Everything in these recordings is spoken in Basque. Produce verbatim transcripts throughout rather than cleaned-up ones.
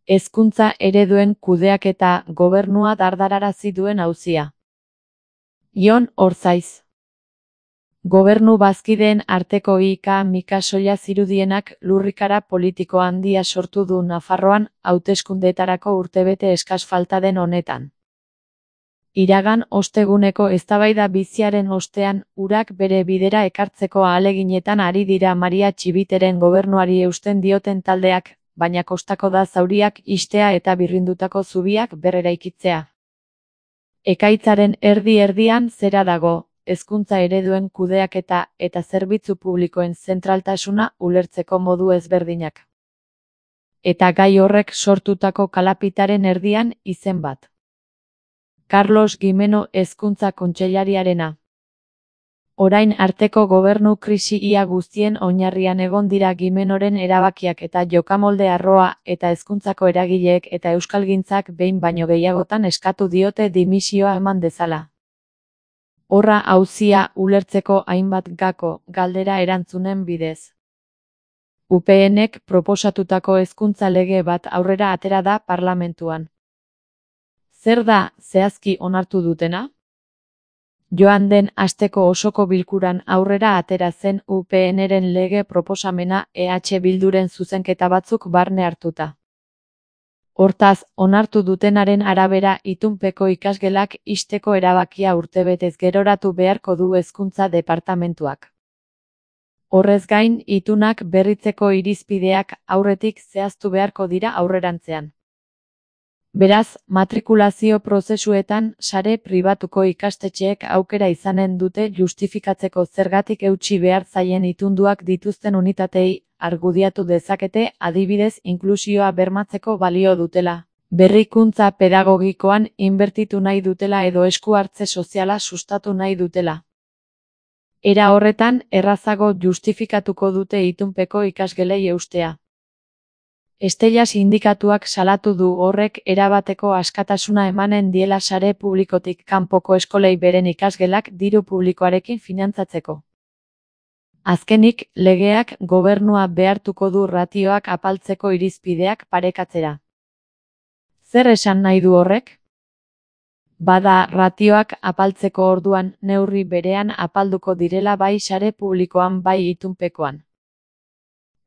Hezkuntza ereduen kudeaketa gobernua dardararazi duen auzia. Jon Orzaiz. Gobernu bazkideen arteko ika mika soila zirudienak lurrikara politiko handia sortu du Nafarroan hauteskundeetarako urtebete eskas falta den honetan. Iragan osteguneko eztabaida biziaren ostean, urak bere bidera ekartzeko ahaleginetan ari dira Maria Txibiteren gobernuari eusten dioten taldeak, baina kostako da zauriak ixtea eta birrindutako zubiak berreraikitzea. Ekaitzaren erdi-erdian zera dago, hezkuntza ereduen kudeaketa eta zerbitzu publikoen zentraltasuna ulertzeko modu ezberdinak. Eta gai horrek sortutako kalapitaren erdian izen bat. Carlos Gimeno Hezkuntza Kontseilariarena. Orain arteko gobernu krisi ia guztien oinarrian egon dira Gimenoren erabakiak eta jokamolde arroa eta hezkuntzako eragileek eta euskalgintzak behin baino gehiagotan eskatu diote dimisioa eman dezala. Horra auzia ulertzeko hainbat gako galdera erantzunen bidez. U PNek proposatutako hezkuntza lege bat aurrera atera da parlamentuan. Zer da zehazki onartu dutena? Joan den asteko osoko bilkuran aurrera atera zen U P Nren lege proposamena E H Bilduren zuzenketa batzuk barne hartuta. Hortaz, onartu dutenaren arabera itunpeko ikasgelak ixteko erabakia urtebetez geroratu beharko du hezkuntza departamentuak. Horrez gain, itunak berritzeko irizpideak aurretik zehaztu beharko dira aurrerantzean. Beraz, matrikulazio prozesuetan sare pribatuko ikastetxeek aukera izanen dute justifikatzeko zergatik eutsi behar zaien itunduak dituzten unitatei argudiatu dezakete adibidez inklusioa bermatzeko balio dutela, berrikuntza pedagogikoan inbertitu nahi dutela edo esku hartze soziala sustatu nahi dutela. Era horretan, errazago justifikatuko dute itunpeko ikasgelei eustea. Estella sindikatuak salatu du horrek erabateko askatasuna emanen diela sare publikotik kanpoko eskolei beren ikasgelak diru publikoarekin finantzatzeko. Azkenik, legeak gobernua behartuko du ratioak apaltzeko irizpideak parekatzera. Zer esan nahi du horrek? Bada, ratioak apaltzeko orduan neurri berean apalduko direla bai sare publikoan bai itunpekoan.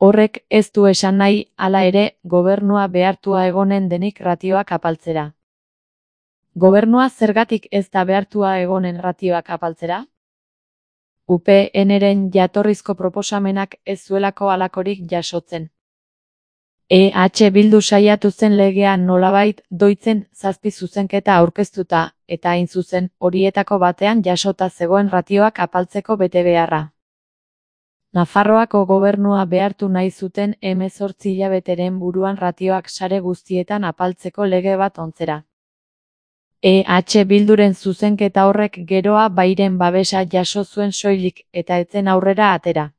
Horrek ez du esan nahi, hala ere, gobernua behartua egonen denik ratioak apaltzera. Gobernua zergatik ez da behartua egonen ratioak apaltzera? U P Nren jatorrizko proposamenak ez zuelako halakorik jasotzen. E H Bildu saiatu zen legea nolabait doitzen zazpi zuzenketa aurkeztuta, eta hain zuzen, horietako batean jasota zegoen ratioak apaltzeko betebeharra. Nafarroako gobernua behartu nahi zuten hemezortzi hilabeteren buruan ratioak sare guztietan apaltzeko lege bat ontzera. E H Bilduren zuzenketa horrek geroa bairen babesa jaso zuen soilik eta etzen aurrera atera.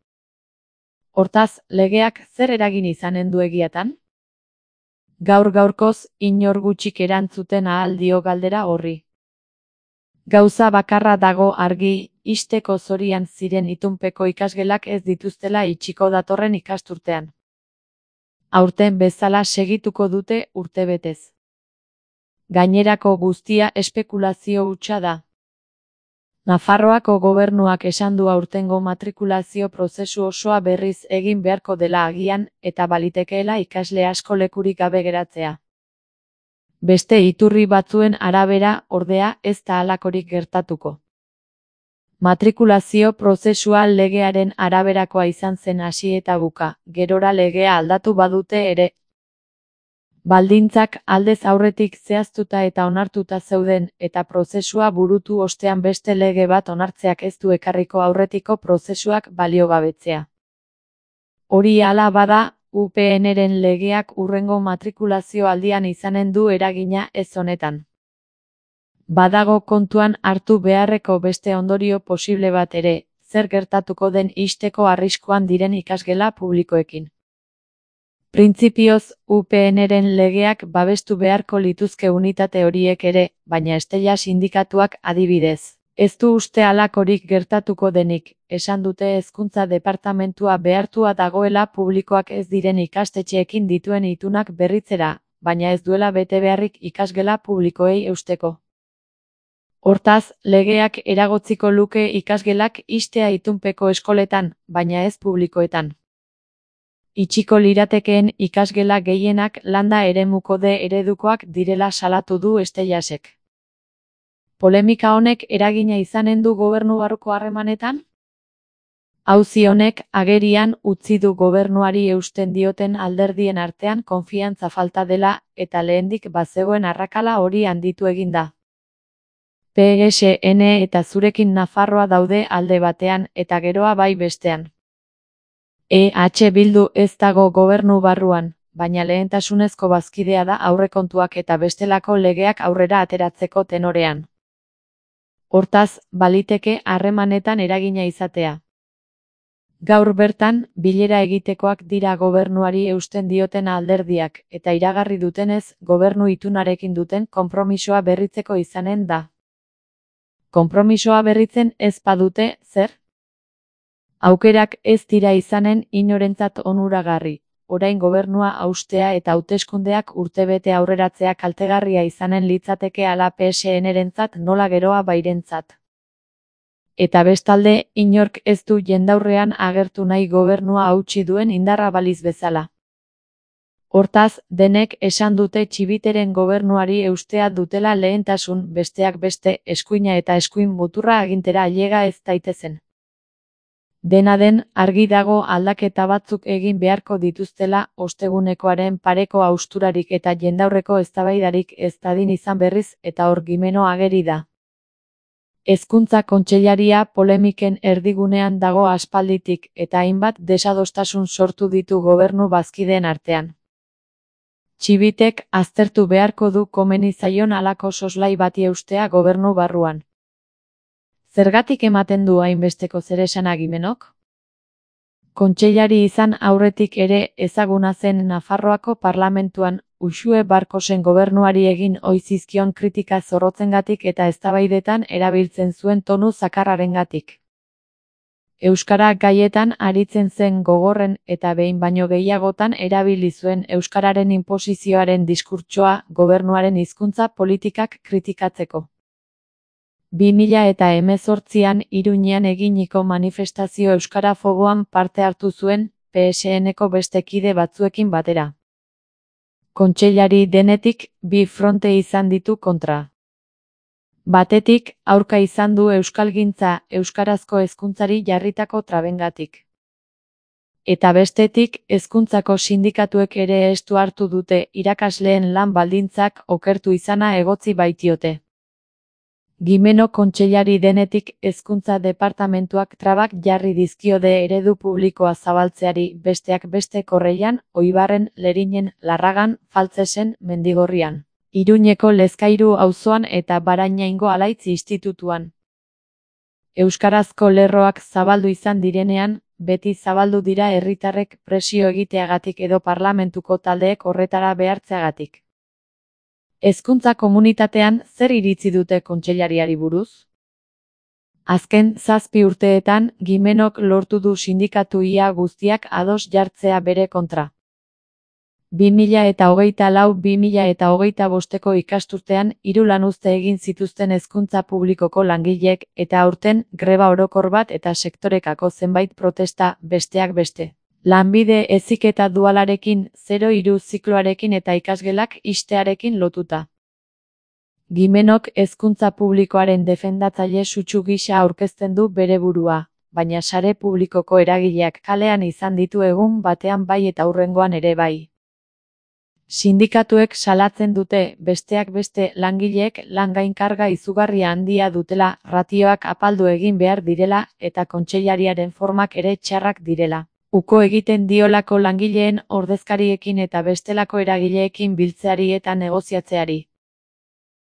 Hortaz, legeak zer eragin izanen du egiatan? Gaur gaurkoz, inor gutxik erantzuten ahal dio galdera horri. Gauza bakarra dago argi, ixteko zorian ziren itunpeko ikasgelak ez dituztela itxiko datorren ikasturtean. Aurten bezala segituko dute urtebetez. Gainerako guztia espekulazio hutsa da. Nafarroako gobernuak esan du aurtengo matrikulazio prozesu osoa berriz egin beharko dela agian eta balitekeela ikasle asko lekurik gabe geratzea. Beste iturri batzuen arabera, ordea, ez da halakorik gertatuko. Matrikulazio prozesua legearen araberakoa izan zen hasi eta buka, gerora legea aldatu badute ere. Baldintzak aldez aurretik zehaztuta eta onartuta zeuden eta prozesua burutu ostean beste lege bat onartzeak ez du ekarriko aurretiko prozesuak baliogabetzea. Hori hala bada, U P Nren legeak hurrengo matrikulazio aldian izanen du eragina ez honetan. Badago kontuan hartu beharreko beste ondorio posible bat ere, zer gertatuko den ixteko arriskuan diren ikasgela publikoekin. Printzipioz, U P Nren legeak babestu beharko lituzke unitate horiek ere, baina Estella sindikatuak adibidez. Ez du uste halakorik gertatuko denik, esan dute hezkuntza departamentua behartua dagoela publikoak ez diren ikastetxeekin dituen itunak berritzera, baina ez duela bete beharrik ikasgela publikoei eusteko. Hortaz, legeak eragotziko luke ikasgelak ixtea itunpeko eskoletan, baina ez publikoetan. Itxiko liratekeen ikasgela gehienak landa eremuko de eredukoak direla salatu du Esteillasek. Polemika honek eragina izanen du gobernu barruko harremanetan? Auzi honek agerian utzi du gobernuari eusten dioten alderdien artean konfiantza falta dela eta lehendik bazegoen arrakala hori handitu egin da. P S N eta zurekin Nafarroa daude alde batean eta geroa bai bestean. E H Bildu ez dago gobernu barruan, baina lehentasunezko bazkidea da aurrekontuak eta bestelako legeak aurrera ateratzeko tenorean. Hortaz, baliteke harremanetan eragina izatea. Gaur bertan, bilera egitekoak dira gobernuari eusten dioten alderdiak, eta iragarri dutenez, gobernu itunarekin duten konpromisoa berritzeko izanen da. Konpromisoa berritzen ez badute, zer? Aukerak ez dira izanen inorentzat onuragarri, orain gobernua haustea eta hauteskundeak urtebete aurreratzea kaltegarria izanen litzateke ala P S N-rentzat nola geroa bairentzat. Eta bestalde, inork ez du jendaurrean agertu nahi gobernua hautsi duen indarra baliz bezala. Hortaz, denek esan dute Txibiteren gobernuari eustea dutela lehentasun besteak beste eskuina eta eskuin muturra agintera ailega ez daitezen. Dena den, argi dago aldaketa batzuk egin beharko dituztela ostegunekoaren pareko hausturarik eta jendaurreko eztabaidarik ez dadin izan berriz eta hor Gimeno ageri da. Hezkuntza Kontseilaria polemiken erdigunean dago aspalditik eta hainbat desadostasun sortu ditu gobernu bazkideen artean. Txibitek aztertu beharko du komeni zaion halako soslai bati eustea gobernu barruan. Zergatik ematen du hainbesteko zeresana Gimenok? Kontseilari izan aurretik ere ezaguna zen Nafarroako parlamentuan Uxue Barkosen gobernuari egin ohi zizkion kritika zorrotzengatik eta eztabaidetan erabiltzen zuen tonu zakarrarengatik. Euskara gaietan aritzen zen gogorren eta behin baino gehiagotan erabili zuen euskararen inposizioaren diskurtsoa gobernuaren hizkuntza politikak kritikatzeko. bi mila hemezortzian Iruñean eginiko manifestazio euskara fogoan parte hartu zuen P S N-ko beste kide batzuekin batera. Kontseilari denetik bi fronte izan ditu kontra. Batetik, aurka izan du euskalgintza euskarazko hezkuntzari jarritako trabengatik. Eta bestetik, hezkuntzako sindikatuek ere estu hartu dute irakasleen lan baldintzak okertu izana egotzi baitiote. Gimeno kontseilari denetik hezkuntza departamentuak trabak jarri dizkiode eredu publikoa zabaltzeari besteak beste Korreian, Oibarren, Lerinen, Larragan, Faltzesen, Mendigorrian, Iruñeko Lezkairu auzoan eta Barainaingo Alaitz institutuan. Euskarazko lerroak zabaldu izan direnean, beti zabaldu dira herritarrek presio egiteagatik edo parlamentuko taldeek horretara behartzeagatik. Hezkuntza komunitatean zer iritzi dute kontseilariari buruz? Azken zazpi urteetan, Gimenok lortu du sindikatu ia guztiak ados jartzea bere kontra. bi mila hogeita lau bi mila hogeita bosteko ikasturtean hiru lanuzte egin zituzten hezkuntza publikoko langileek eta aurten greba orokor bat eta sektorekako zenbait protesta besteak beste. Lanbide heziketa dualarekin, zero hiru zikloarekin eta ikasgelak ixtearekin lotuta. Gimenok hezkuntza publikoaren defendatzaile sutsu gisa aurkezten du bere burua, baina sare publikoko eragileak kalean izan ditu egun batean bai eta hurrengoan ere bai. Sindikatuek salatzen dute, besteak beste langileek lan gainkarga izugarria handia dutela, ratioak apaldu egin behar direla eta kontseilariaren formak ere txarrak direla. Uko egiten diolako langileen ordezkariekin eta bestelako eragileekin biltzeari eta negoziatzeari.